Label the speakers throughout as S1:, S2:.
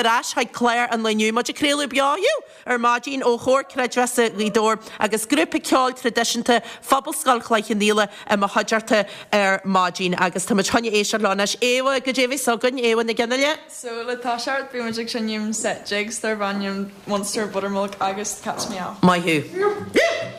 S1: Ar ais chuig clár an lae inniu, muid ag craoladh beo inniu ar maidin ó Chomhar Creidmheasa Ghaoth Dobhair agus grúpa ceoil traidisiúnta Phobalscoil Chloich Cheann Fhaola i mo chuideachta ar maidin agus tá muid chun éisteacht leo anois. Éabha, goidé a bheas againn, Éabha Nic Fhionnghaile?
S2: So le toiseacht beidh muid ag seinm set jigs darb ainm Munster Buttermilk agus Cat's Meow.
S1: Maith thú.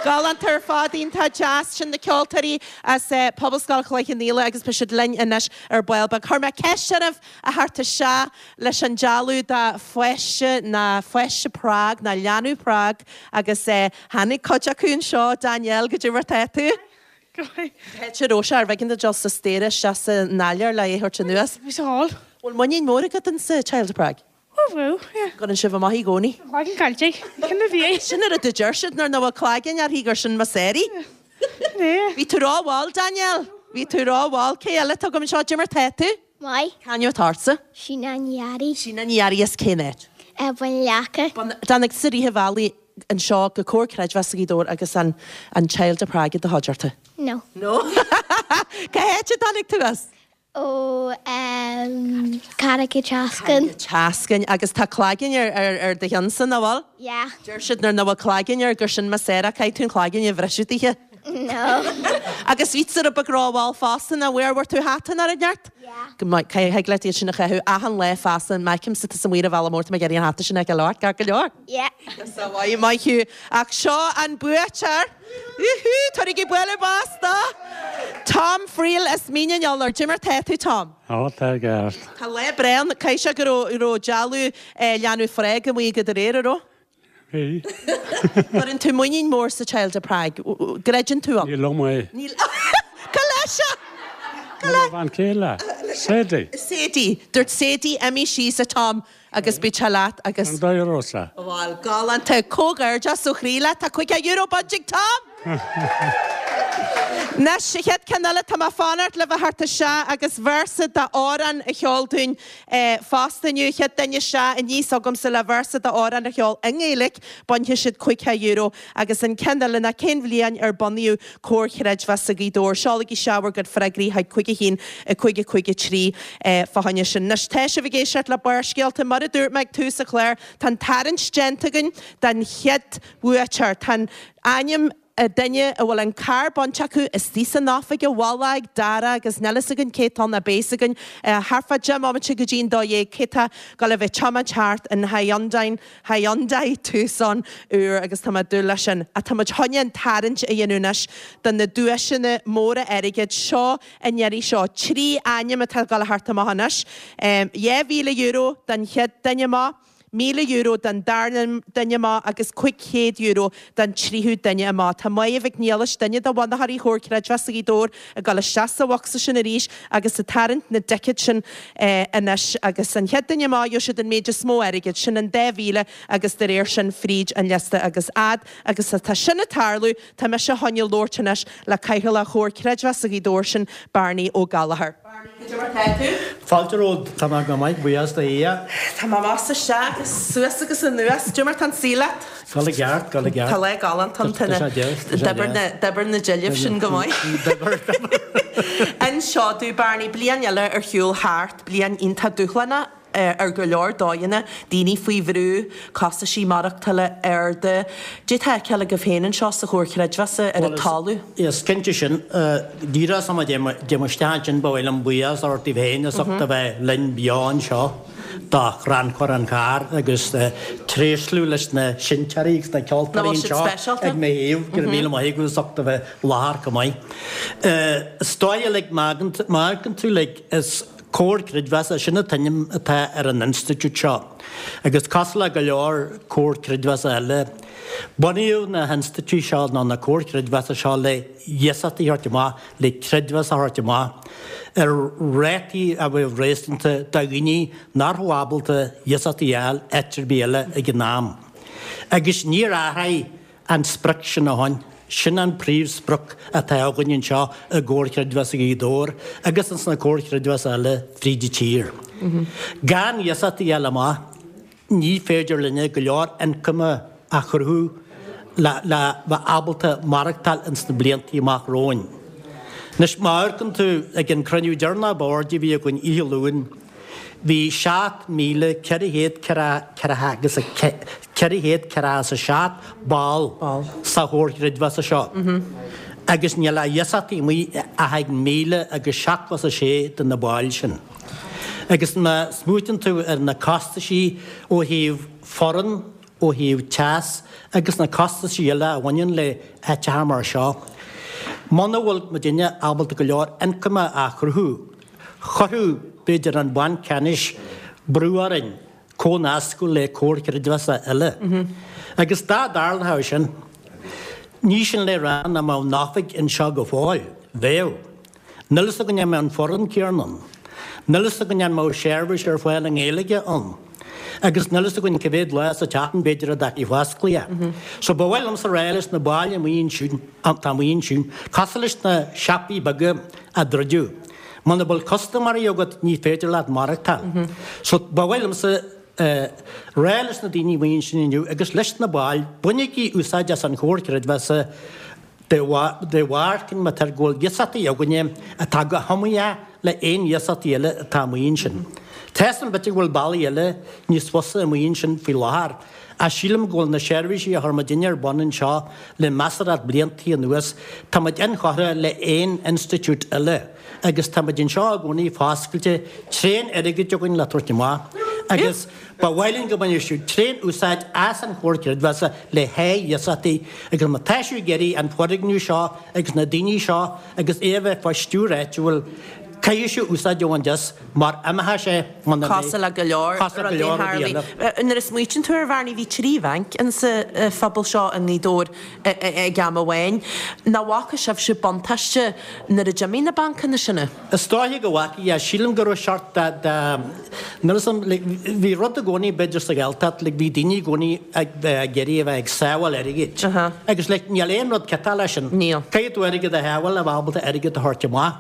S1: Galánta ar fad, iontach deas. Sin na ceoltóirí as Pobalscoil Chloich Cheann Fhaola agus beidh siad linn anois ar ball beag. Chuir mé ceist oraibh a theacht isteach leis an dealbh de pháiste ná pháiste Prague ná leanbh Prague agus tháinig cuid acu anseo. Danielle, goidé mar tá tú?
S2: Go maith.
S1: Cá háit a raibh sé arbh éigean duit dul suas staighre isteach san áiléar le é a thabhairt anuas?
S2: Bhí sa hall.
S1: Bhfuil muinín mór agat insa Child of Prague?
S2: Ó bhfuil, yeah.
S1: Gcuireann sibh amach i gcónaí?
S2: Cloigeann caillte. Cén a bhí é?
S1: Sin an rud a deir siad nuair nach bhfuil cloigeann uirthi gur sin Missouri.
S2: Yeah.
S1: Bhí tú ró-mhall, Danielle. Bhí tú ró-mhall. Cé eile atá agam anseo? Goidé mar tá tú?
S3: Maith.
S1: C'ainm atá ortsa?
S3: Síne Ní Fhearraigh.
S1: Síne Ní Fhearraigh as cén áit?
S3: Bun Leaca.
S1: Bun, Tháinig tusa i rith an bhealaigh anseo go Comhar Creidmheasa Ghaoth Dobhair agus an an Child of Prague i do chuideachta?
S3: No.
S1: No? Cá háit a dtáinig tú as?
S3: Ó Carraig an tSeascainn.
S1: Carraig an tSeascainn. Agus tá cloigeann ar ar do cheannsa, nach bhfuil?
S3: Yeah.
S1: Deir siad nuair nach bhfuil cloigeann air gur sin Missouri. Caithfidh tú an cloigeann a bhriseadh daoithe.
S3: No.
S1: Agus bhí tú rud beag rómhall fosta, nach bhfuair bhfuair tú hata nach raibh neart?
S3: Yeah.
S1: Go maith. Thig leat iad sin a chaitheamh achan lá feasta. Má fheicimse tusa amuigh ar an bhealach mór tá mé ag iarraidh an hata sin a fheiceáil ort, ceart go leor?
S3: Yeah.
S1: Go maith, maith thú. Ach seo an buaiteoir. Wúhú! Tabharaigí bualadh bos do Tom Friel as Mín an Iolair. Goidé mar tá tú, Tom?
S4: Ó, tá i gceart.
S1: Tá lá breá ann. Caithfidh sé go raibh raibh dealbh leanbh Phrág amuigh agat aréir, an raibh?
S4: Bhí.
S1: Cuireann tú muinín mór sa Child of Prague. Gcreideann tú ann?
S4: Ní liom é.
S1: Níl. Cá leis é? Cá
S4: le? Mo bhean chéile. Sadie.
S1: Sadie. Dúirt Sadie, imigh síos, a Tom. Agus beidh sé leat agus.
S4: An dóigh a raibh sé.
S1: Bhuel, galánta. Comhghairdeas ó chroí leat. Tá €50 bainte ag Tom! Anois, an chéad ceann eile, tá mé ag fanacht libh a theacht isteach agus véarsa d'amhrán a cheol dúinn fosta inniu. An chéad duine isteach aníos chugamsa le véarsa d'amhrán a cheol i nGaeilge, bainfidh siad €50 agus an ceann eile ná cén bhliain ar bunaíodh Comhar Chreidmheasa Ghaoth Dobhair? Seolaigí isteach bhur gcuid freagraí chuig 5 1 5 5 3 fá choinne sin. Anois, tá sibh ag éisteacht le Barrscéalta. Mar a dúirt mé ag tús an chláir, tá an tarraingt déanta againn don chéad bhuaiteoir. Tá ainm an duine a bhfuil an carr bainte acu istigh san oifig i bhfolach ag Dara agus níl fhios againn cé atá ann ach beidh fhios againn thart fá 10 mbomaite go dtí an 12 cé atá ag dul a bheith ag tiomáint thart in Hyundai Hyundai Tucson úr agus tá mé ag dúil leis sin. Ach tá muid chun an tarraingt a dhéanamh anois do na duaiseanna móra airgid seo an iarraidh seo. 3 ainm atá ag dul a theacht amach anois. €2,000 don chéad duine amach. €1,000 don darna duine amach agus €500 don tríú duine amach. Tá Máire Mhic Niallais, duine de bhunaitheoirí Chomhar Creidmheasa Ghaoth Dobhair, ag dul isteach sa bhocsa sin arís agus ag tarraingt na dticéad sin anois agus an chéad duine amach gheobhaidh siad an méid is mó airgid, sin an 2,000 agus de réir sin fríd an liosta agus fhad agus atá sin ag tarlú tá mise chun labhairt anois le Cathaoirleach Chomhar Creidmheasa Ghaoth Dobhair sin Barney Ó Gallchóir. Barney, cad é mar tá tú?
S5: Fáilte romhat, tá mé go maith, buíochas do Dhia.
S1: Tá mé amach is isteach agus suas agus anuas, cad é mar tá an saol leat?
S5: Dul i gceart, dul i gceart.
S1: Tá lá galánta ann, tá na, d'oibir na, d'oibir na deilbh sin go maith.
S5: D'oibir, d'oibir.
S1: Inis domh, Barney, bliain eile ar shiúl thart, bliain iontach dúshlánach ar go leor dóigheanna, daoine faoi bhrú, costaisí maireachtála arda. Cad é atá á fheiceáil agaibh féin anseo sa Chomhar Creidmheasa ar an talamh?
S5: Is cinnte sin. Díreach sula dtéim isteach ansin ba mhaith liom buíochas a thabhairt daoibh féin as ucht a bheith linn beo anseo do chrannchur an chairr agus tréaslú leis na seinnteoirí agus na ceoltóirí anseo ag mo thaobh. Go raibh míle maith agaibh as ucht a bheith i láthair chomh maith. Is dóigh like má amharcann tú like is Comhar Creidmheasa, sin an t-ainm atá ar an institiúid seo. Agus cosúil le go leor Comhar Creidmheasa eile, bunaíodh na hinstitiúidí seo nó na Comhair Chreidmheasa seo le hiasachtaí a thabhairt amach, le creidmheas a thabhairt amach ar rátaí a bheadh réasúnta do dhaoine nach raibh ábalta iasachtaí a fháil áit ar bith eile ag an am. Agus níor athraigh an sprioc sin ó shin. Sin an príomhsprioc atá againn anseo i gComhar Creidmheasa Ghaoth Dobhair agus ins na Comhair Chreidmheasa eile fríd an tír. Gan iasachtaí a fháil amach, ní féidir linne go leor ioncaim a chruthú le le bheith ábalta maireachtáil ins na bliantaí amach romhainn. Anois, má amharcann tú ag an cruinniú deireanach boird a bhí againn oíche Luain, Bhí 7,447 ball sa Chomhar Creidmheasa seo agus níl ach iasachtaí amuigh ach ag 1,076 de na baill sin. Agus má smaoitíonn tú ar na costaisí ó thaobh foireann, ó thaobh teas agus na costaisí eile a bhaineann le háiteacha mar seo, muna bhfuil muidinne ábalta go leor ioncaim a chruthú, Chuirfeadh, b'fhéidir, an Banc Ceannais brú orainn comhnascadh le comhair chreidmheasa eile. Agus dá dtarlódh sin, ní sin le rá nach mbeadh an oifig anseo go fóill. Bheadh. Níl fhios againn an mbeadh an foireann céanna ann. Níl fhios againn an mbeadh seirbhís ar fáil i nGaeilge ann. Agus níl fhios againn cá mhéad lá sa tseachtain b'fhéidir a bheadh sí fosclaithe. So ba mhaith liomsa rá leis na baill amuigh ansiúd, atá amuigh ansiúd, cosúil leis na siopaí beaga a druideadh. Muna bhfuil custaiméirí agat ní féidir leat maireachtáil. So ba mhaith liomsa rá leis na daoine amuigh ansin inniu agus leis na baill, bainigí úsáid as an Chomhar Creidmheasa de bharr cén maith go bhfuil iasachtaí againne atá go hiomaíoch le aon iasachtaí eile atá amuigh ansin. Tá 'fhios a'm b'fhéidir go bhfuil bealaí eile níos fusa amuigh ansin faoi láthair Ach sílim go bhfuil na seirbhísí a chuir muidinne ar bun anseo le measarthacht bliantaí anuas, tá muid inchurtha le aon institiúid eile agus tá muid anseo i gcónaí foscailte, tréan airgid againn le tabhairt amach agus ba mhaith linn go mbainfeadh sibh tréan úsáid as an Chomhar Creidmheasa le haghaidh iasachtaí agus má tá sibh ag iarraidh an foirgneamh seo agus na daoine seo agus é a bheith fá stiúir áitiúil, caithfidh sibh úsáid a bhaint as mar imeoidh sé muna mbeidh.
S1: Cosúil le go leor
S5: rudaí a tharlaigh.
S1: Nuair a smaoitíonn tú air, a Bhearnaí, bhí 3 bhanc insa phobal seo i nGaoth Dobhair ag am amháin. Nach bhfaca sibhse buntáiste nuair a d'imigh na bancanna sin?
S5: Is dóiche go bhfaca, yeah. Sílim go raibh seort de, de, Níl 'fhios a'm, like, bhí rud i gcónaí b'fhéidir sa Ghaeltacht, like, bhí daoine i gcónaí ag bheith ag iarraidh a bheith ag sábháil airgid. Agus, like, níl aon rud ciotach leis sin.
S1: Níl.
S5: Caithfidh tú airgead a shábháil le bheith ábalta airgead a thabhairt amach.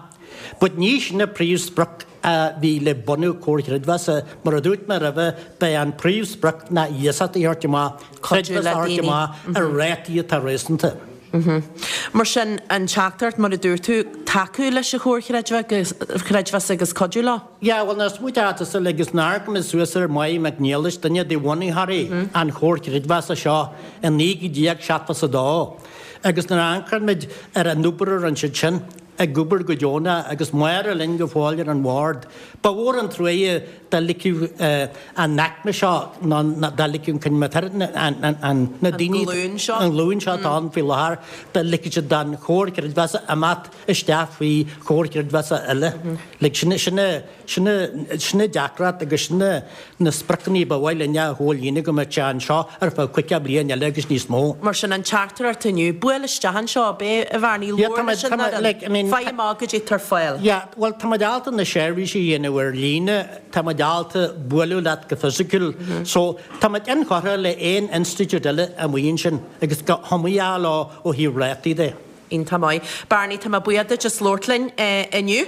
S5: But ní sin an príomhsprioc a bhí le bunú Comhar Creidmheasa. Mar a dúirt mé roimhe, b'é an príomhsprioc ná iasacht a thabhairt amach,
S1: Cuidiú
S5: creidmheas
S1: le
S5: a thabhairt
S1: daoine.
S5: amach ar rátaí atá réasúnta.
S1: Mar sin, an teachtaireacht, mar a dúirt tú, tacú leis an Chomhar Creidmheasa agus cuidiú leo.
S5: Yeah, bhuel, nuair a smaoitíonn tusa agus nuair a amharcann muid suas ar Mháire Mhic Niallais, duine de bhunaitheoirí an Chomhar Creidmheasa seo i 1972, agus nuair a amharcann muid ar an obair a rinne siad sin, ag obair go deonach agus Máire linn go fóill ar an bhord, ba mhór an truaighe dá ligfeadh an aicme seo nó dá ligfeadh an na daoine, an ghlúin seo atá ann faoi láthair, dá ligfeadh siad don Chomhar Creidmheasa imeacht isteach faoi Chomhar Creidmheasa eile. Like, sin, sin, sin, sin an deacracht agus sin na spriocanna ba mhaith linn a chomhlíonadh go mbeadh sé anseo ar feadh 50 bliain eile agus níos mó.
S1: Mar sin, an teachtaireacht inniu, buail isteach anseo, ab é, a Bhearnaí,
S5: Yeah,
S1: labhair
S5: tá
S1: leis
S5: muid,
S1: an
S5: tá muid,
S1: fhoireann,
S5: like, I mean,
S1: faigh amach goidé atá ar fáil.
S5: Yeah, bhuel, tá muid ábalta na seirbhísí a dhéanamh ar líne, tá muid ábalta bualadh leat go fisiciúil, so tá muid inchurtha le aon institiúid eile amuigh ansin agus go hiomaíoch leo ó thaobh rátaí de.
S1: Iontach maith. Barney, tá mé buíoch duit as labhairt linn inniu.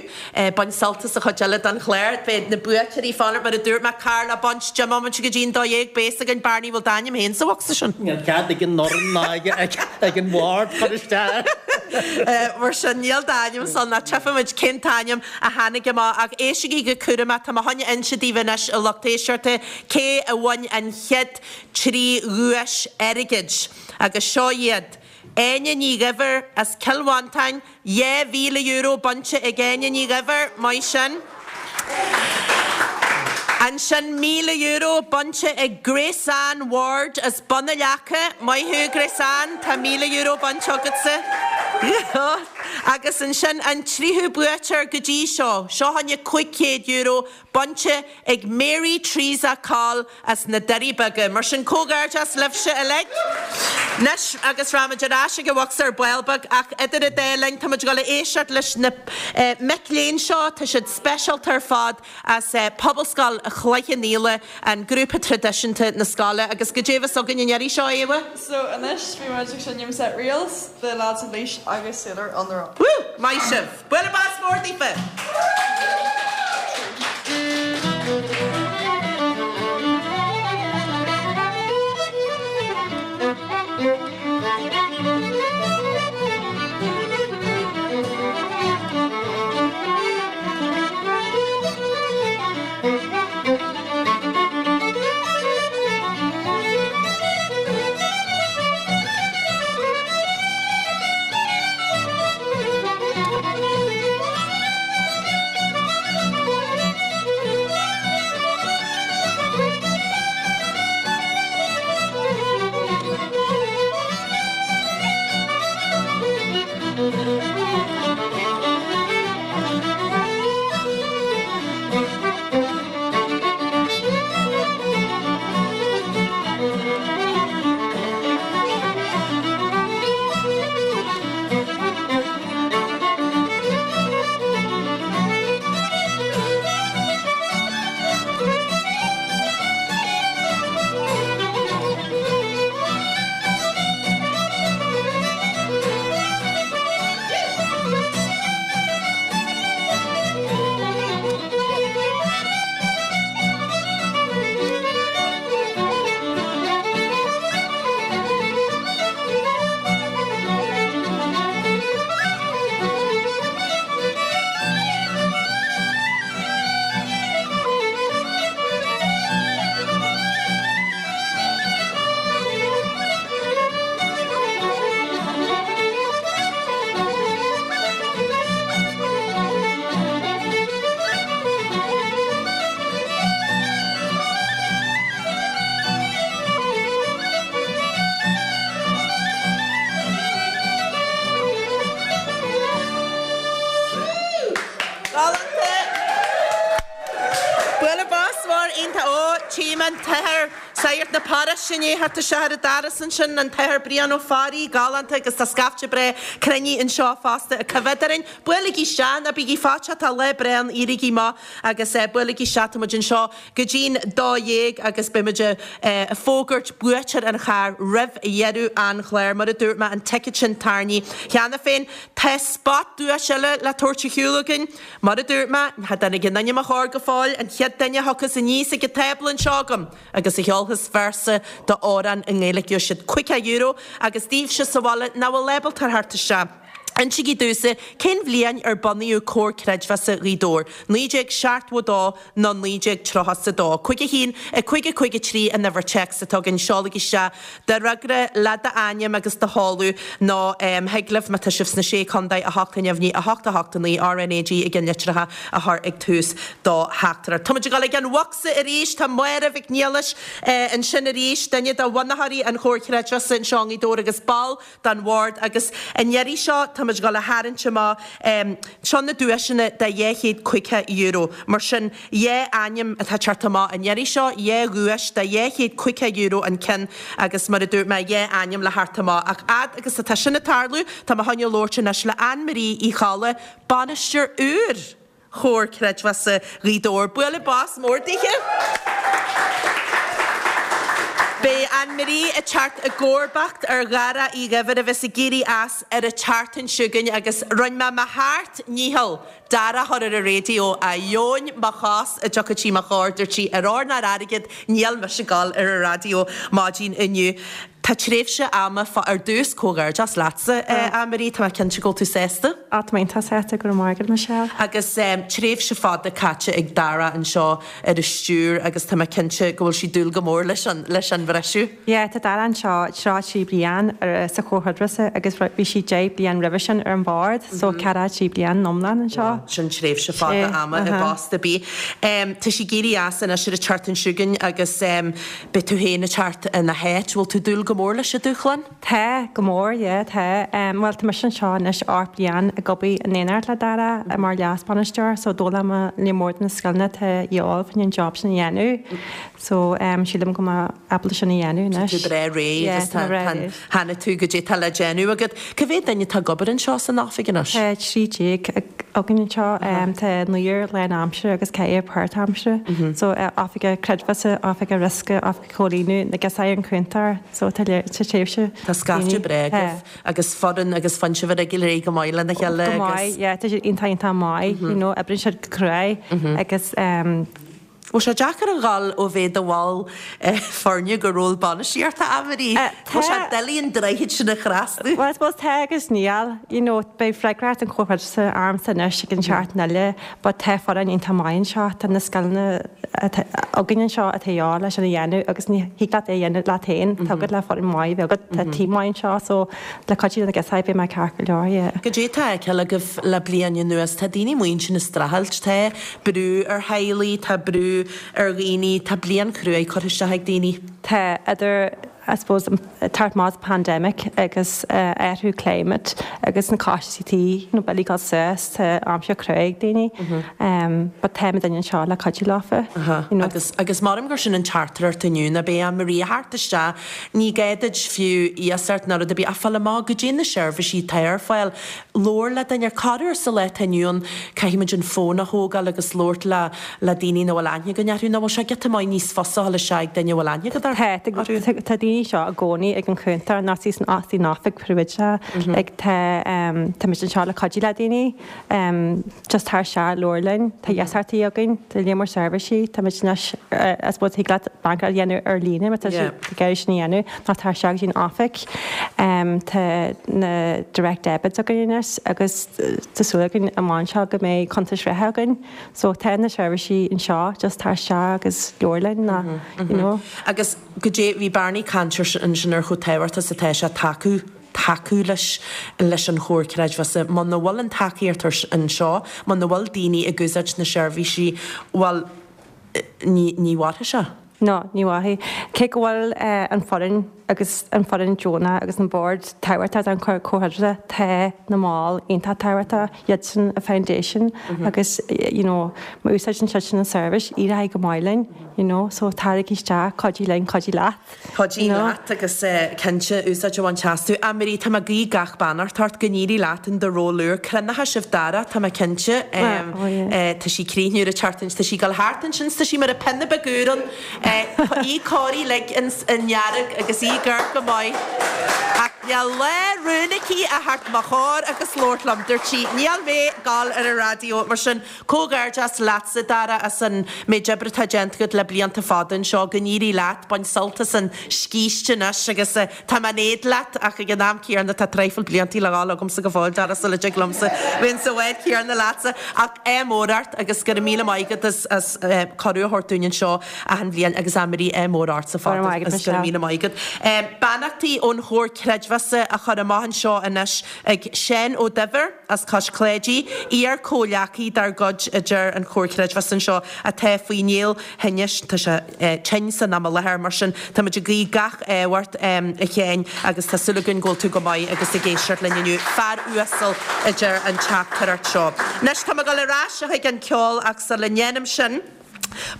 S1: Bain sult as an chuid eile den chlár. Beidh na buaiteoirí fáil, mar a dúirt mé, carr le baint, 10 mbomaite go dtí an 12, beidh fhios againn, Barney, bhfuil d'ainm féin sa bhocsa sin?
S5: Níl cead ag an fhoireann ná ag an bhord cur isteach.
S1: Mar sin, níl d'ainm ansan ach tchífimid cén t-ainm a tháinig amach. Ach éistigí go cúramach, tá mé chun a inse daoibh anois, a lucht éisteachta, cé a bhain an chéad trí dhuais airgid. Agus seo iad. Áine Ní Dhuibhir as Cill Mhantáin, €2,000 bainte ag Áine Ní Dhuibhir, maith sin. Ansin €1,000 bainte ag Grace Ann Ward as Bun na Leaca, maith thú Grace Ann, tá €1,000 bainte agatsa. Agus ansin an tríú buaiteoir go dtí seo, seo chugainne €500 bainte ag Mary Teresa Coll as na Doirí Beaga. Mar sin, comhghairdeas libhse uilig. Anois, agus raghaimid ar ais ag an bhocsa ar ball beag, ach idir an dá linn, táimid ag dul a éisteacht leis na mic léinn seo, tá siad speisialta ar fad, as Pobalscoil Chloich Cheann Fhaola, an grúpa traidisiúnta na scoile. Agus goidé a bheas againn an iarraidh seo, a Éabha?
S2: So, anois, bhí muid ag seinm set Reels, The Lads of Laois agus Sailor on the Rock.
S1: Woo! Maith sibh! Bualadh bos mór daofa! Galánta! Bualadh bos mór iontach. Ó, tchím an t-athair Sagart na paróiste i ndiaidh theacht isteach ar an doras ansin, an tAthair Brian Ó Fearraigh, galánta agus tá scaifte breá cruinnithe anseo fosta ag coimhéad orainn. Buailigí isteach, ná bígí faitíoch, tá lá breá ann, éirígí amach agus buailigí isteach, tá muid anseo go dtí'n 12 agus beidh muid ag fógairt buaiteoir an chairr roimh dheireadh an chláir. Mar a dúirt mé, an ticéad sin tarraingthe cheana féin. Tá spot duais eile le tabhairt ar shiúl againn. Mar a dúirt mé, cha dtáinig a n-ainm i mo chomhair go fóill, an chéad duine a thiocfas aníos ag an tábla anseo agam agus a cheolfas véarsa d'amhrán i nGaeilge, gheobhaidh siad €50 agus daoibhse sa bhaile nach bhfuil ábalta a theacht isteach, insígí domhsa cén bhliain ar bunaíodh Comhar Creidmheasa Ghaoth Dobhair, 1972 nó 1932? 51 5 5 3 an uimhir téacs atá againn, seolaigí isteach do fhreagra le d'ainm agus do sheoladh nó thig libh má tá sibh sna Sé Chontae 8 neamhní 8 8 9 RnaG i gceannlitreacha a chur ag tús do theachtaireacht. Tá muid ag dul ag an bhocsa arís, tá Máire Mhic Niallais ansin arís, duine de bhunaitheoirí an Chomhair Chreidmheasa anseo i nGaoth Dobhair agus ball den bhord agus an iarraidh seo táimid ag dul a tharraingt amach seo na duaiseanna de €250. Mar sin, 2 ainm atá ag teacht amach an iarraidh seo, 2 dhuais de €250 an ceann agus mar a dúirt mé, 2 ainm le theacht amach. Ach fhad agus atá sin ag tarlú, tá mé chun labhairt anois le Ann Marie Uí Cholla, bainisteoir úr! Chomhar Creidmheasa Ghaoth Dobhair. Bualadh bos mór daoithe! Beidh Ann Marie ag teacht i gcomharbacht ar Dhara Uí Dhuibhir a bheas ag éirí as ar an tseachtain seo chugainn agus rinne mé mo sheacht ndícheall Dara a chur ar an raidió a dheoin mo chos a dtiocfadh sí mo chomhair, dúirt sí ar ór ná ar airgead níl mise ag dul ar an raidió maidin inniu. Tá tréimhse ama fá ar dtús, comhghairdeas leatsa, Ann Marie, tá mé cinnte go bhfuil tú sásta.
S6: Á, tá mé iontach sásta, go raibh maith agat, Michelle.
S1: Agus tréimhse fada caite ag Dara anseo ar an stiúir agus tá mé cinnte go bhfuil sé ag dúil go mór leis an leis an bhriseadh.
S6: Yeah, tá Dara anseo 33 bliain ar sa Chomhar Chreidmheasa agus bhí sé 10 bliain roimhe sin ar an bhord, so 43 bliain iomlán anseo.
S1: Sin tréimhse fada ama i bpost ar bith. Tá sé ag éirí as anois ar an tseachtain seo chugainn agus Beidh tú féin ag teacht ina háit. Bhfuil tú ag dúil go mór leis an dúshlán?
S6: Tá, go mór, yeah, tá. Bhuel, tá mise anseo anois 8 bliain ag obair in éineacht le Dara mar leas-bhainisteoir, so d'fhoghlaim mé lear mór de na scileanna atá a dhíobháil fá choinne an job sin a dhéanamh. So, sílim go mbeidh mé ábalta sin a dhéanamh
S1: anois. Tá tú breá réidh
S6: Yeah,
S1: agus
S6: tá
S1: tá,
S6: mé breá
S1: tá,
S6: réidh.
S1: chonaic tú goidé tá le déanamh agat. Cá mhéad duine atá ag obair anseo san oifig anois?
S6: Tá 13 againn anseo. Tá naonúr lán-aimsire agus ceathrar páirt-aimsire. So oifigeach creidmheasa, oifigeach riosca, oifigeach comhlíonadh, na girseachaí an cúntóir. So tá léir, tá tréimhse
S1: Tá scaifte
S6: daoine.
S1: breá agaibh agus foireann agus faigheann sibh ar aghaidh go maith lena chéile
S6: Go maith,
S1: agus.
S6: yeah, tá siad iontach iontach maith, you know, oibríonn siad go cruaidh agus
S1: Bhfuil sé deacair a dhul ó bheith i do bhall foirne go ról bainistíochta, Ann Marie? Bhfuil sé doiligh an droichead sin a thrasnú?
S6: Well, I suppose tá agus níl. You know, beidh freagracht an Chomhair Chreidmheasa ormsa anois ag an tseachtain eile but tá foireann iontach maith anseo, tá na scileanna atá againn anseo atá a dhíobháil leis sin a dhéanamh agus ní thig leat é a dhéanamh leat féin, tá agat le foireann maith a bheith agat, tá team maith anseo so le cuidiú na girseachaí beidh mé ceart go leor, yeah.
S1: Goidé atá á fheiceáil agaibh le bliain anuas? Tá daoine amuigh ansin ag streachailt, tá brú ar theaghlaigh, tá brú ar dhaoine, tá bliain chruaidh curtha isteach ag daoine.
S6: Tá, idir I suppose teacht amach as pandemic agus athrú climate agus na costaisí tí, you know, billí ag dul suas, tá aimsir cruaidh ag daoine but tá muidinne anseo le cuidiú leofa, you know.
S1: Agus, agus maram gur sin an teachtaireacht inniu, ná beidh Ann Marie a theacht isteach, ní gá duit fiú iasacht ná rud ar bith ach fáil amach goidé na seirbhísí atá ar fáil. Labhair le duine, corruair sa lá atá inniu ann caithfimid an fón a thógáil agus labhairt le le daoine nach bhfuil aithne againn orthu. Nach bhfuil sé giota maith níos fusa a dhul isteach ag duine a bhfuil aithne agat
S6: orthu? Tá, tá daoine anseo i gcónaí ag an chuntar nó san san oifig príobháideach. Like tá tá muid anseo le cuidiú le daoine. Just tar isteach, labhair linn, tá iasachtaí againn, tá lear mór seirbhísí, tá muid anois, I suppose thig leat bancaíocht a dhéanamh ar líne má tá tú ag iarraidh sin a dhéanamh, nó tar isteach go dtí an oifig. Tá na direct debits againn anois agus tá súil againn amach anseo go mbeidh cuntais reatha againn. So tá na seirbhísí anseo, just tar isteach agus labhair linn nó, you know.
S1: Agus goidé, bhí Barney ag caint ansin ar chomh tábhachtach is atá sé tacú. tacú leis leis an Chomhar Creidmheasa. Muna bhfuil an tacaíocht anseo, muna bhfuil daoine ag úsáid na seirbhísí, bhuel, ní ní mhairfidh sé.
S6: No, ní mhairfidh. Cé go bhfuil an foireann agus an foireann deonach agus an bord tábhachtach don Chomhar Chreidbheasa, tá na mbaill iontach tábhachtach, iad sin an foundation agus you know má úsáideann siadsan an seirbhís, éireoidh go maith linn you know so taraigí isteach, cuidigh linn, cuidigh leat.
S1: Cuidigh leat agus cinnte úsáid a bhaint astu. A Marie, tá mé ag guí gach beannacht ort, go n-éirí leat in do ról úr. Cruinneoidh sibh Dara, tá mé cinnte. Tá sí ag críochnú ar an tseachtain, tá sí ag dul thart ansin, tá sí mar an pionna beag úr ann. Í cóirithe uilig i ndearg agus í ag amharc go maith. Ach níl lá rún aici a theacht mo chomhair agus labhairt liom. Dúirt sí, níl mé ag dul ar an raidió. Mar sin, comhghairdeas leatsa, Dara, as an méid oibre atá déanta agat le blianta fada anseo. Go n-éirí leat. Bain sult as an scíste anois agus tá mé in éad leat ach ag an am céanna tá traidhfil bliantaí le dhul agamsa go fóill, Dara, sula dtig liomsa bheith sa bhád céanna leatsa. Ach ádh mór ort agus go raibh míle maith agat as as cuireadh a thabhairt dúinn anseo achan bhliain agus Anne-Marie ádh mór ortsa fosta agus go raibh míle maith agat. Beannachtaí ón Chomhar Creidmheasa á chur amach anseo anois ag Seán Ó Duibhir as Cois Cláidí, iar-chomhghleacaí dár gcuid idir an Chomhar Creidmheasa anseo atá faoi néal thinnis, tá sé tinn san am i láthair, mar sin táimid ag guí gach ádh ort a Sheáin agus tá súil againn go bhfuil tú go maith agus ag éisteacht linn inniu. Fear uasal a deir an teachtaireacht seo. Anois tá mé ag dul ar ais chuig an ceol ach sula ndéanaim sin,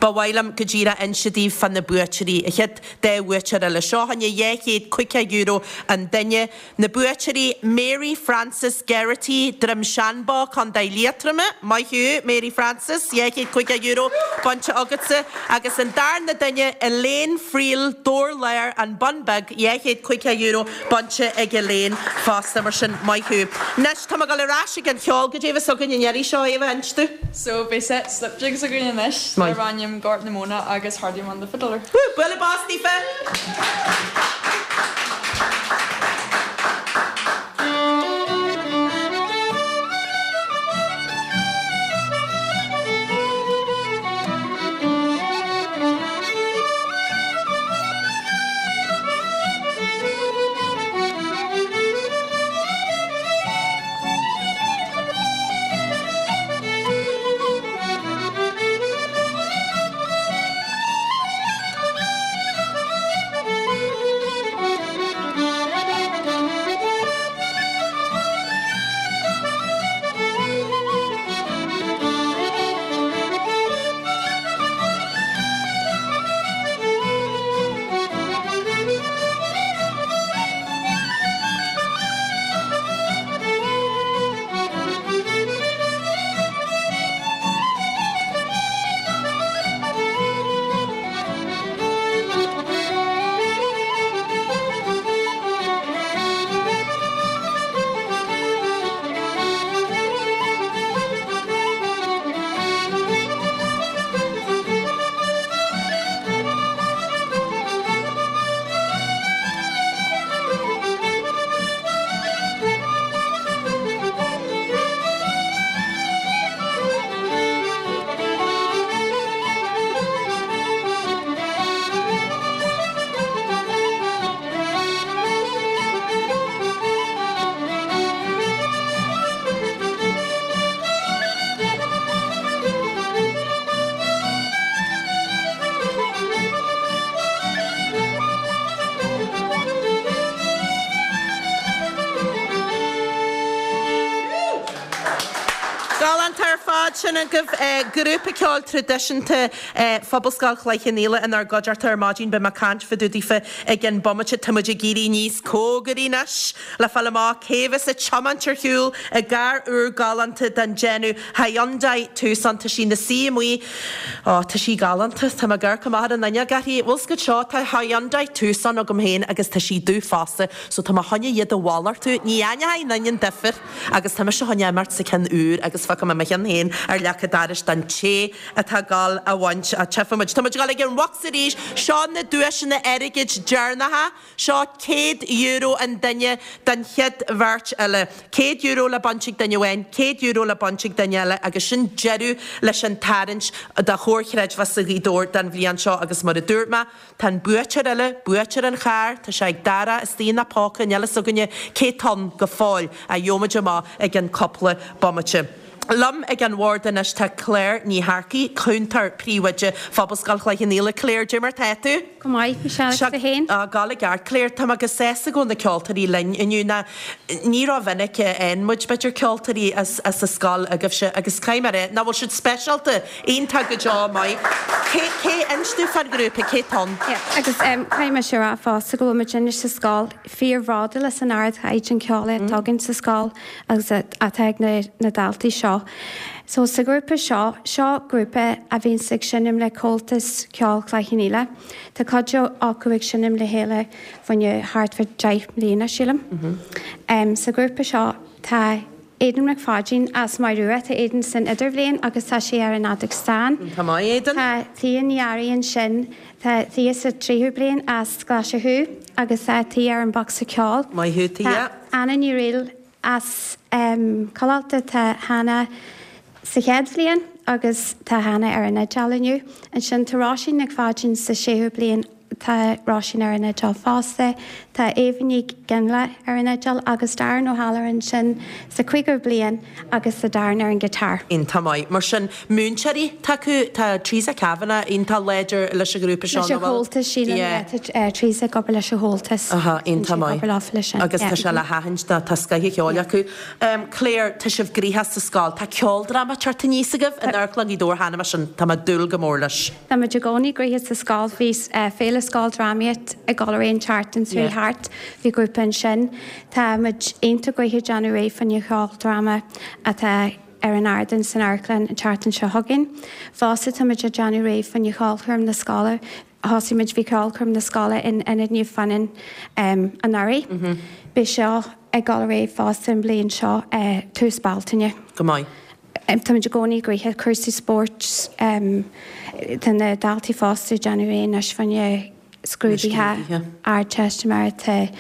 S1: ba mhaith liom go díreach inse daoibh fá na buaiteoirí, an chéad dá bhuaiteoir eile. Seo fá choinne €250 an duine. Na buaiteoirí, Mary Frances Geraghty, Droim Seanbhó, Co. Liatroma, Maith thú, Mary Frances, €250 bainte agatsa. Agus an darna duine, Elaine Friel, Dobhar Láir, An Bun Beag, €250 bainte ag Elaine fosta. Mar sin, maith thú. Anois, tá mé ag dul ar ais ag an cheol. Goidé a bheas againn an iarraidh seo, Éabha, inis domh.
S2: So, beidh set slip jigs againn anois,
S1: Maith.
S2: darb ainm Gort na Móna agus Hardyman the Fiddler.
S1: Woo! Bualadh bos daofa! Galánta ar fad sin agaibh. Grúpa ceoil traidisiúnta Phobalscoil Chloich Cheann Fhaola inár gcuideachta ar maidin. Beidh mé ag caint fá dtaobh daofa i gcionn bomaite. Tá muid ag éirí níos cóngaraí anois le fáil amach cé bheas ag tiomáint ar shiúl i gcarr úr galánta den déanamh Hyundai Tucson. Tá sí ina suí amuigh. Ó, tá sí galánta. Tá mé ag amharc amach ar an fhuinneog uirthi. Bhfuil 's agat seo, tá Hyundai Tucson agam féin agus tá sí dubh fosta, so tá mé chun iad a mhalartú. Ní aithneoidh aon duine an difear agus tá mise chun imeacht sa cheann úr agus feicfidh mé mo cheann féin ar leac an dorais don té atá ag dul a bhaint. Á, tchífidh muid. Tá muid ag dul ag an bhocsa arís. Seo na duaiseanna airgid deireanacha. Seo €100 an duine don chéad bheirt eile. €100 le baint ag duine amháin, €100 le baint ag duine eile agus sin deireadh leis an tarraingt do Chomhar Chreidmheasa Ghaoth Dobhair don bhliain seo agus mar a dúirt mé, tá an buaiteoir eile, buaiteoir an chairr, tá sé ag Dara istigh ina phóca, níl fhios againne cé tá ann go fóill ach gheobhaimid amach i gcionn cúpla bomaite. Liom ag an bhord anois tá Claire Ní Shearcaigh, Cúntóir Príomhoide Phobalscoil Chloich Cheann Fhaola. Claire, cad é mar tá tú?
S7: Go maith, Michelle, agus tú féin?
S1: Á, gabháil i gceart. Claire, tá mé go sásta go bhfuil na ceoltóirí linn inniu. Ná ní rómhinic a fhaigheann muid, b'fhéidir, ceoltóirí as as an scoil agaibhse agus caithfidh mé a rá, nach bhfuil siad speisialta, iontach go deo maith. Cé, cé, inis dúinn fán ghrúpa, cé atá ann?
S7: Yeah, agus caithfidh mise a rá fosta go bhfuil muid anois sa scoil fíorbhródúil as an ardchaighdeán ceoil atá againn sa scoil. agus atá ag na daltaí seo. So sa ghrúpa seo, seo grúpa a bhíonns ag seinm le Comhaltas Ceoil Chloich Cheann Fhaola. Tá cuid acu ag seinm le chéile fá choinne thart fá 10 mbliana, sílim. Sa ghrúpa seo tá Aidan Mac Pháidín as Maigh Rua, tá Aidan san idirbhliain agus tá sé ar an fheadóg stáin.
S1: Tá maith, Aidan.
S7: Tá Thea Ní Fhearraigh ansin, tá Thea sa tríú bliain as Glaschú agus tá Thea ar an bhocsa ceoil.
S1: Maith thú, Thea.
S7: Tá Anna Ní Fhrighil as Cill Ulta, tá Hannah sa chéad bhliain agus tá Hannah ar an fhidéal inniu. Ansin tá Róisín Nic Pháidín sa séú bliain, tá Róisín ar an fhidéal fosta. Tá Éabha Nic Fhionnghaile ar an fhidéal agus Darren O'Halloran ansin sa cúigiú bliain agus tá Darren ar an guitar.
S1: Iontach maith. Mar sin, múinteoirí atá acu, tá Teresa Kavanagh iontach láidir leis an ghrúpa seo,
S7: Leis an
S1: nach bhfuil?
S7: Chomhaltas, sílim,
S1: Yeah.
S7: yeah, tá Teresa ag obair leis an Chomhaltas.
S1: Aha, iontach
S7: Tá sí ag
S1: maith.
S7: obair leofa leis sin,
S1: Agus
S7: yeah.
S1: tá sé le haithint tá tá scoth an cheoil acu. Claire, tá sibh gnoitheach sa scoil, tá ceoldráma ag teacht aníos agaibh in Amharclann Ghaoth Dobhair cheana, mar sin tá mé ag dúil go mór leis.
S7: Tá muid i gcónaí gnoitheach sa scoil, bhí Féile Scoildrámaíocht ag dul ar aghaidh an tseachtain seo
S1: Yeah.
S7: thart, bhí grúpa ansin. Tá muid iontach gnoitheach ag déanamh réidh fá choinne cheoldráma atá ar an ardán san amharclann an tseachtain seo chugainn. Fosta tá muid ag déanamh réidh fá choinne cheolchoirm na scoile. Thosaigh muid, bhí ceolchoirm na scoile in Ionad Naomh Fionnán anuraidh. Beidh seo ag dul ar aghaidh fosta an bhliain seo, tús Bealtaine.
S1: Go maith.
S7: Tá muid i gcónaí gnoitheach, cúrsaí spóirt, tá na daltaí fosta ag déanamh réidh anois fá choinne scrúduithe Ardteistiméireachta.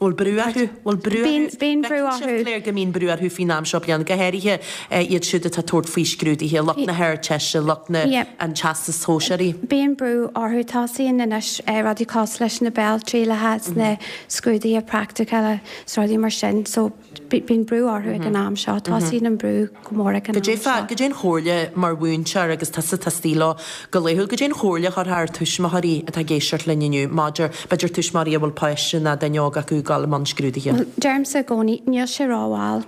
S1: Bhfuil brú orthu? Bhfuil brú orthu?
S7: Bíonn brú orthu.
S1: Bhfeiceann sibh, Claire, go mbíonn brú orthu faoin am seo bliana, go háirithe iad siúd atá ag tabhairt faoi scrúduithe, lucht na hArdteiste, lucht na an Teastais Shóisearaigh.
S7: Bíonn brú orthu. Tosaíonn anois rudaí cosúil leis na béaltrialacha, na scrúduithe praiticiúla is rudaí mar sin. So Bíonn brú orthu ag an am seo. Tosaíonn an brú go mór ag an am seo.
S1: Goidé an chomhairle mar mhúinteoir agus tusa atá istigh leo go laethúil, goidé an chomhairle a chuirfeá ar tuismitheoirí atá ag éisteacht linn inniu maidir, b'fhéidir tuismitheoirí a bhfuil páiste nó duine óg acu ag dul i mbun scrúduithe?
S7: Bhuel, deirimse i gcónaí, níl sé rómhall.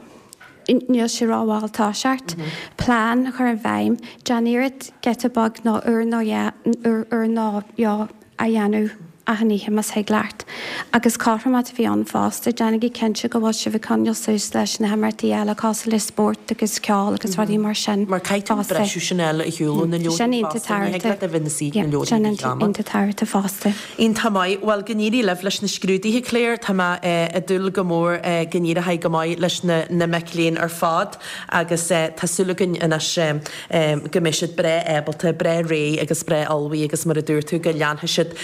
S7: Níl sé rómhall toiseacht. Plean a chur i bhfeidhm. Déan iarracht giota beag nó uair nó dhá, uair nó dhó a dhéanamh achan oíche más thig leat. Agus cothromaíocht a bheith ann fosta, déanaigí cinnte go bhfuil sibh ag coinneáil suas leis na himeachtaí eile cosúil le spórt agus ceol agus rudaí mar sin
S1: Mar caithfidh tú an
S7: fosta.
S1: briseadh sin a fháil ar shiúl ó na
S7: Sin
S1: leabharthaí
S7: iontach
S1: fosta, ní thig leat a bheith ina suí ag na
S7: Yeah,
S1: leabharthaí
S7: sin
S1: go deama.
S7: iontach tábhachtach fosta.
S1: Iontach maith. Bhuel, go n-éirí libh leis na scrúduithe, Claire. Tá mé ag dúil go mór go n-éireoidh go maith leis na mic léinn ar fad agus tá súil againn anois go mbeidh siad breá ábalta, breá réidh agus breá ullmhaithe agus mar a dúirt tú, go leanfaidh siad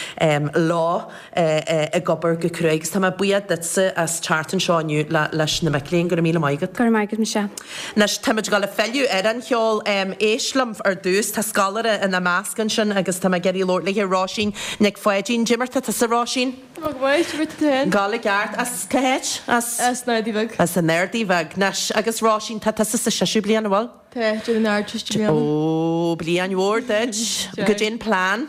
S1: leo ag obair go cruaidh. Agus tá mé buíoch duitse as teacht anseo inniu leis na mic léinn. Go raibh míle maith agat.
S7: Go raibh maith agat, Michelle.
S1: Anois, táimid ag dul ag filleadh ar an cheol. Éist liom ar dtús, tá scoláire ina measc ansin agus tá mé ag iarraidh labhairt léi, Róisín Nic Pháidín. Goidé mar tá tusa, Róisín?
S2: Tá mé go maith, goidé mar tá tú féin?
S1: Gabháil i gceart. As cá háit?
S2: As. As an Ardaidh Bheag.
S1: As an Ardaidh Bheag. Anois, agus Róisín, tá tusa sa séú bliain, an bhfuil?
S2: Tá, déanamh na hArdteiste i mbliana.
S1: Ó, bliain mhór duit. Goidé an plean?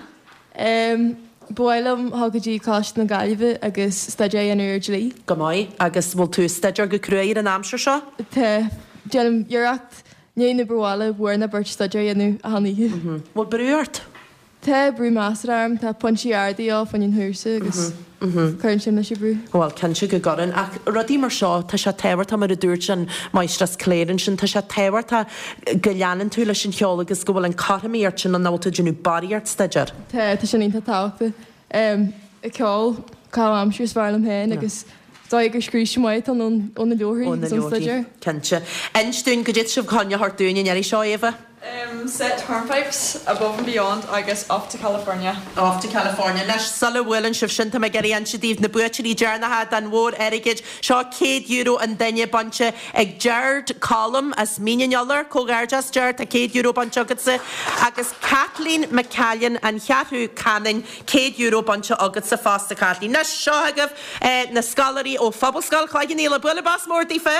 S2: Ba mhaith liom dhul go dtí Coláiste na Gaillimhe agus staidéar a dhéanamh ar dlí.
S1: Go maith. Agus bhfuil tú ag staidéar go cruaidh ar an aimsir seo?
S2: Tá. Déanaim iarracht i ndiaidh an obair bhaile uair nó beirt staidéar a dhéanamh achan oíche.
S1: Bhfuil brú ort?
S2: Tá brú measartha orm, tá pointí arda de dhíth fá choinne an chúrsa agus cuireann sin leis an brú.
S1: Bhuel, cinnte go gcuireann. Ach rudaí mar seo, tá sé tábhachtach, mar a dúirt an Máistreás Claire ansin, tá sé tábhachtach go leanann tú leis an cheol agus go bhfuil an cothromaíocht sin ann, nach bhfuil tú ag déanamh barraíocht staidéir.
S2: Tá, tá sin iontach tábhachtach. Ceol, caitheamh aimsire is fearr liom féin agus is dóigh gur scrios maith atá ann ó na leabharthaí
S1: Ó na
S2: agus ón
S1: leabharthaí,
S2: staidéar.
S1: cinnte. Inis dúinn, goidé tá sibh chun a thabhairt dúinn an iarraidh seo, Éabha?
S2: Set Hornpipes, Above and Beyond agus Off to California.
S1: Off to California. Anois, sula bhuaileann sibh sin, tá mé ag iarraidh inse daoibh na buaiteoirí deireanacha den mhór airgid. Seo €100 an duine bainte ag Gerard Collum as Mín an Iolair. Comhghairdeas, Gerard, tá €100 bainte agatsa. Agus Kathleen McCallion, An Cheathrú Canainn, €100 bainte agatsa fosta, Kathleen. Anois, seo agaibh na scoláirí ó Phobalscoil Chloich Cheann Fhaola. Bualadh bos mór daofa!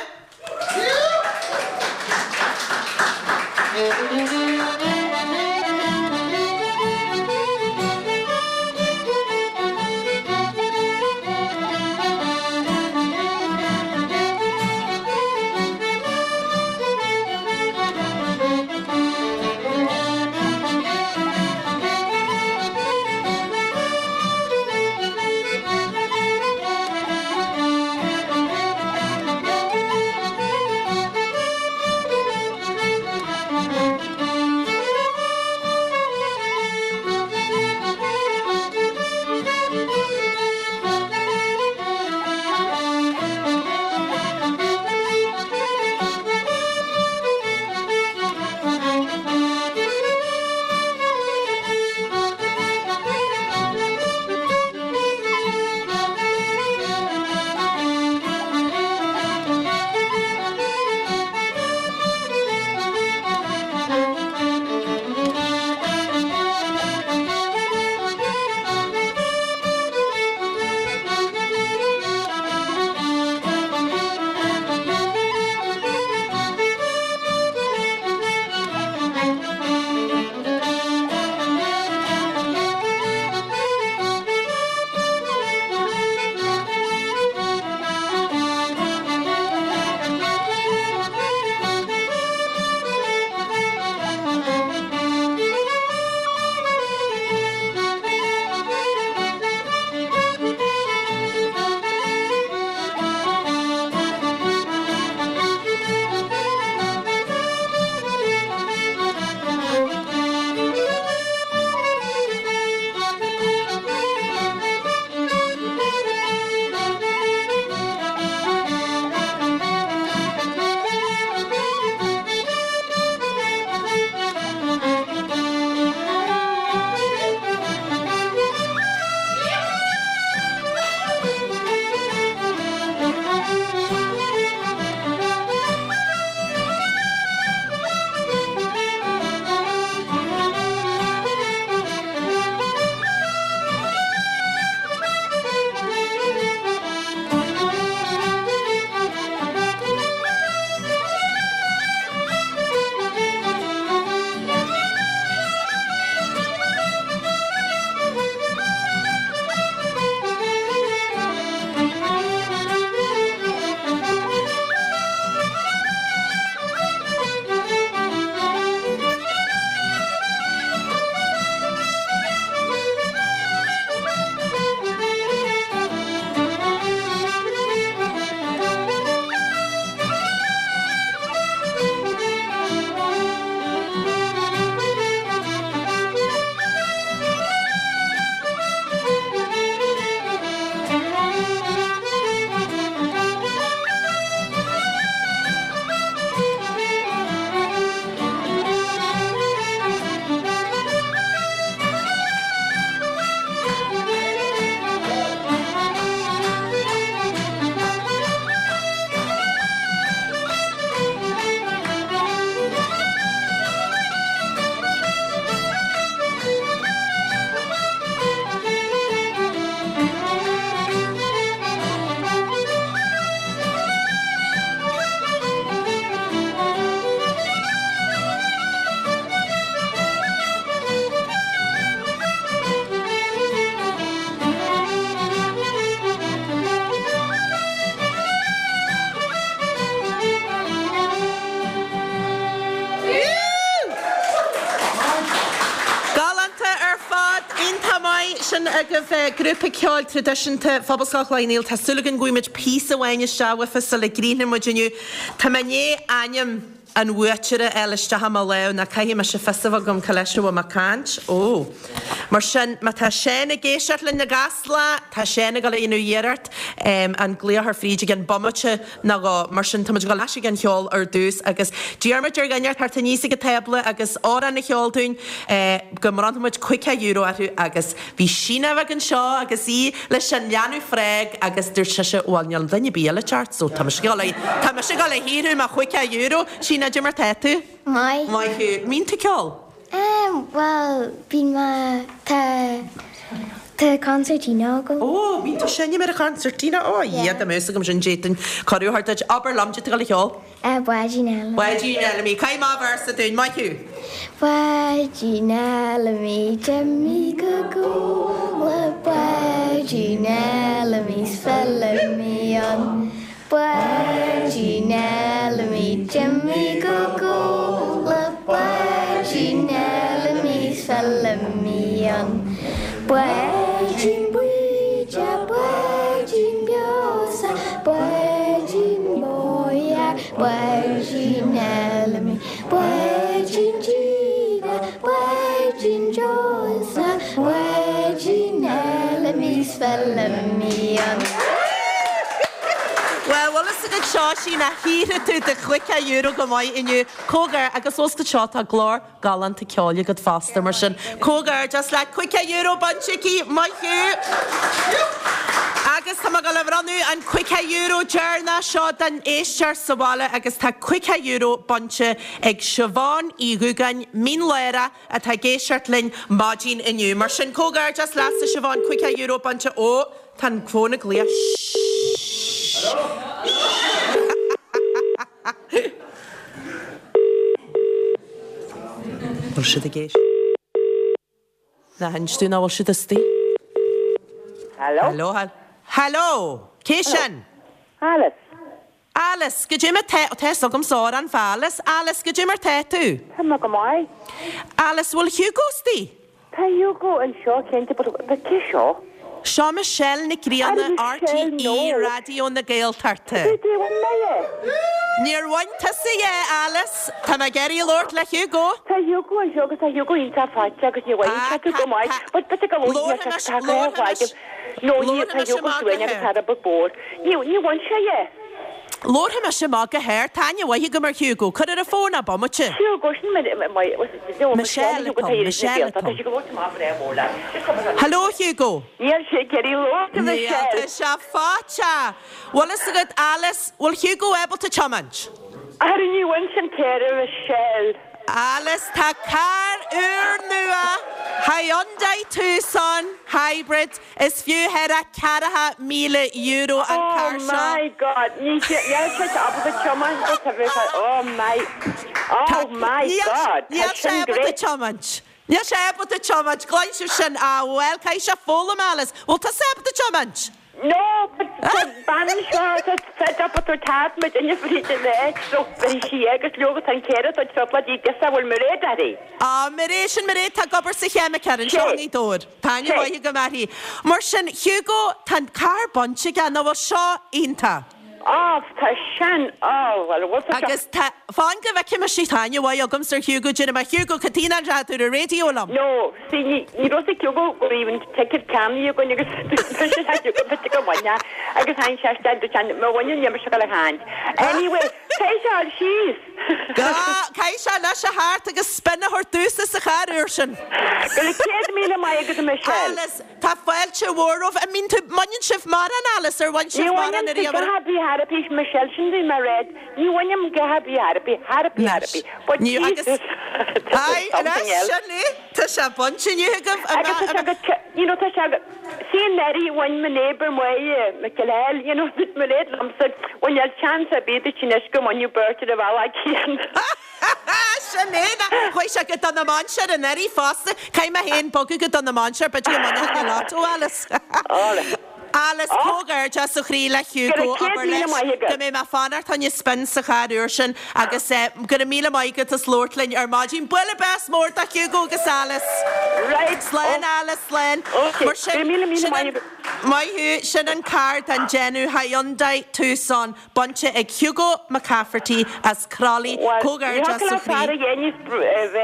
S1: Galánta ar fad! Iontach maith! Sin agaibh grúpa ceoil traidisiúnta Phobalscoil Chloich Cheann Fhaola. Tá súil againn go bhfaighidh muid píosa amháin isteach uafa sula gcríochnóidh muid inniu. Tá mé i ndiaidh ainm an bhuaiteora a fháil isteach i mo lámh, nó caithfidh mise fios a bheith agam cá leis a bhfuil mé ag caint. Ó! Mar sin, má tá Seán ag éisteacht linn i gCasla, tá Seán ag dul a dhéanamh iarracht an glaoch ar Bhríd i gceann bomaite nó dhó. Mar sin, tá muid ag dul ar ais ag an cheol ar dtús agus d'iarr muid ar dhuine teacht aníos ag an tábla agus amhrán a cheol dúinn go mbronnfadh muid €50 orthu agus bhí Síne bheag anseo agus í leis an leanbh frog agus dúirt sise bhuel níl duine ar bith eile ag teacht so tá mise ag dul tá mise ag dul a shaothrú mo €50. Síne, cad é mar tá tú?
S3: Maith.
S1: Maith thú. An mbíonn tú ag ceol?
S3: Em, bhuel, bíonn mé, tá. Tá concertina agam.
S1: Ó, bíonn tú ag seinm ar an choncertina? Ó, a Dhia, dá mbeadh fhios agam sin d'fhéadfainn cuireadh a thabhairt duit. Abair liom, caidé tá tú ag dul a cheol?
S3: Báidín Fheilimí.
S1: Báidín Fheilimí. Caith amach véarsa dúinn, maith thú.
S3: Báidín Fheilimí, d'imigh go Gabhla, Báidín Fheilimí 's Feilimí ann. Báidín Fheilimí, d'imigh go Gabhla, Báidín Fheilimí 's Feilimí ann. Báidín buí de, báidín beo sa, báidín bóidhe, báidín Fheilimí, báidín díge, báidín deoise, báidín Fheilimí 's Feilimí ann.
S1: Bhuel, bhfuil fhios agat seo, sí nach shaothraigh tú do chúigear euro go maith inniu. Comhghairdeas agus os go seo tá glór galánta ceoil agat fosta, mar sin comhghairdeas leat, €50 bainte aici, maith thú! Agus tá mé ag dul a bhronnadh an €50 deireanach seo don éisteoir sa bhaile agus tá €50 bainte ag Siobhán Uí Dhúgáin, Mín Lárach, atá ag éisteacht linn maidin inniu. Mar sin comhghairdeas leatsa Siobhán, €50 bainte, ó, tá an fón ag glaoch, shh. Bhfuil siad ag éisteacht? Ná hinis dúinn nach bhfuil siad istigh.
S8: Hello?
S1: Hello, Hello! Cé sin?
S8: Alice.
S1: Alice, Goidé mar tá, tá fhios agamsa amhrán fá Alice. Alice, goidé mar tá tú?
S8: Tá mé go maith.
S1: Alice, bhfuil Hugo istigh?
S8: Tá Hugo anseo cinnte but but cé seo?
S1: Seo Michelle Nic Grianna,
S8: Ah Michelle
S1: RTÉ
S8: no.
S1: Raidió na Gaeltachta.
S8: Goidé bhain mé é?
S1: Níor bhain tusa é, Alice. Tá mé ag iarraidh labhairt le Hugo.
S8: Tá Hugo anseo agus tá Hugo iontach faighte agus ní bhaineann
S1: Ah,
S8: sé tú
S1: tá,
S8: go maith
S1: tá.
S8: but but ag a
S1: Labharfaidh mise,
S8: tá
S1: labharfaidh mise.
S8: No ní
S1: Labharfaidh
S8: tá
S1: mise
S8: Hugo
S1: amach go
S8: suain agus
S1: hard.
S8: tá rud beag bored. Ní ní bhain sé é.
S1: Labharfaidh mise amach go hard, tá aithne mhaith agam ar Hugo. Cuir ar an bhfón é bomaite.
S8: Hugo, sin me
S1: Michelle atá ann, Michelle atá ann. Hello Hugo.
S8: Níl sé ag iarraidh labhairt a
S1: Níl,
S8: Michelle.
S1: tá sé faighte. Bhfuil fhios agat Alice, bhfuil Hugo ábalta tiomáint?
S8: Ara ní bhain sin carr a Michelle.
S1: Alice, tá carr úrnua Hyundai Tucson Hybrid Is fiú thar a €40,000 an carr
S8: Oh
S1: seo.
S8: my God, níl sé ábalta tiomáint but tá bheith oh my, oh my God, tá
S1: Níl sé
S8: sin
S1: ábalta
S8: great.
S1: tiomáint. Níl sé ábalta tiomáint, ghlaoigh sibh sin, ah bhuel, caithfidh sé foghlaim Alice. Bhfuil tusa ábalta tiomáint?
S8: No, but tá bean seo tá fed up with her tat muid inne fríd an áit so bhí sí agus leoga tá an céire tá tripla dí guess a bhfuil Mairéad uirthi.
S1: Ah, Mairéad, sin Mairéad, tá ag obair sa cheimiceán anseo i nGaoth Dobhair. Tá aithne mhaith agam uirthi. Mar sin, Hugo, tá an carr bainte aige, nach bhfuil seo iontach?
S8: Á, tá sin, á, bhuel, bhfuil tá seo.
S1: Agus tá, fan go bhfeicfidh mise, tá aithne mhaith agamsa ar Hugo, déarfaidh mé, Hugo, cad chuige nach raibh tú ar an raidió liom?
S8: No, see, ní, ní raibh fhios ag Hugo go raibh an ticket ceannaithe againn agus dúirt sé le Hugo bit go mbainfeá agus tháinig sé isteach, dúirt sé, má bhaineann níl mise ag dul a chaint. Anyway, caithfidh sé a dhul síos.
S1: Caithfidh sé anois a theacht agus spin a thabhairt domhsa sa charr úr sin.
S8: Go raibh 100,000 maith agat a Michelle.
S1: Alice, tá fáilte mhór romhaibh. An mbíonn tú, mbaineann sibh mórán Alice, ar bhain
S8: Ní
S1: sibh mórán
S8: bhainim
S1: ariamh?
S8: a dhath ar bith ar bith Michelle, sin bhí mé ag rá, ní bhainim a dhath ar bith ar bith, ar bith ar
S1: Anois,
S8: bith. But
S1: ní, agus,
S8: Jesus, this is
S1: aye,
S8: something
S1: anois,
S8: else.
S1: sin é, tá sé bainte inniu agaibh, an
S8: Agus tá
S1: mbeadh,
S8: sé go, you know, tá sé go, see anuraidh bhain mo neighbour Máire McElhell, you know, dúirt Mairéad liomsa, bhuel níl chance ar bith duit anois go mbainfeadh beirt ar an bhealach céanna.
S1: Sin é, ná, chuaigh sé go Dún na Mainséar anuraidh fosta, caithfidh mé féin bogadh go Dún na Mainséar, b'fhéidir go mbainfeadh an lotto, Alice.
S8: Alright.
S1: Alice, Comhghairdeas ó chroí le Hugo,
S8: Go raibh
S1: abair
S8: 100,000
S1: leis
S8: maith agat.
S1: go mbeidh mé ag fanacht fá choinne spin sa charr úr sin agus go raibh míle maith agat as labhairt linn ar maidin. Bualadh bos mór do Hugo agus Alice.
S8: Right.
S1: Slán Alice, slán.
S8: Ok,
S1: Mar sin,
S8: go raibh míle míle
S1: sin
S8: maith
S1: an,
S8: agat.
S1: maith thú, sin an carr den déanamh Hyundai Tucson. Bainte ag Hugo McCafferty as Crolly,
S8: Bhuel, ní
S1: comhghairdeas
S8: thiocfadh
S1: ó
S8: le fear
S1: chroí.
S8: a dhéanamh bheith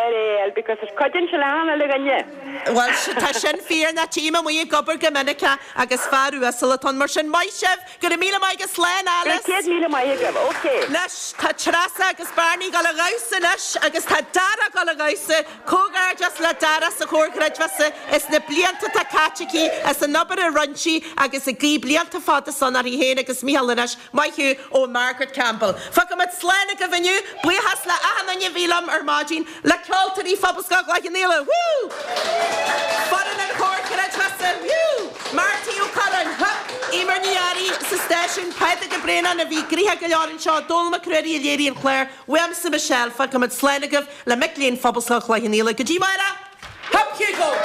S8: ar because there's cuid den sleán eile againne.
S1: Bhuel, tá sin fíor, ná tím amuigh ag obair go minic é agus fear uasal atá ann. Mar sin, maith sibh! Go raibh míle maith agat, slán
S8: Go raibh
S1: Alice!
S8: 100,000 maith agaibh, ok.
S1: Anois, tá Treasa agus Barney ag dul a dhamhsa anois agus tá Dara ag dul a dhamhsa. Comhghairdeas le Dara sa Chomhar Creidmheasa as na blianta atá caite aici, as an obair a rinne sí agus ag guí blianta fada sona uirthi féin agus Micheál anois. Maith thú ó Margaret Campbell. Fágfaimid slán agaibh inniu. Buíochas le achan duine a bhí liom ar maidin, le ceoltóirí Phobalscoil Chloich Cheann Fhaola, woo! Foireann an Chomhar Creidmheasa, woo! Pádraig Ó Braonáin a bhí gnoitheach go leor anseo, Dónall Mac Ruairí a léirigh an clár, uaimse Michelle, fágfaimid slán agaibh le mic léinn Phobalscoil Chloich Cheann Fhaola. Go dtí amárach! Hup Hugo!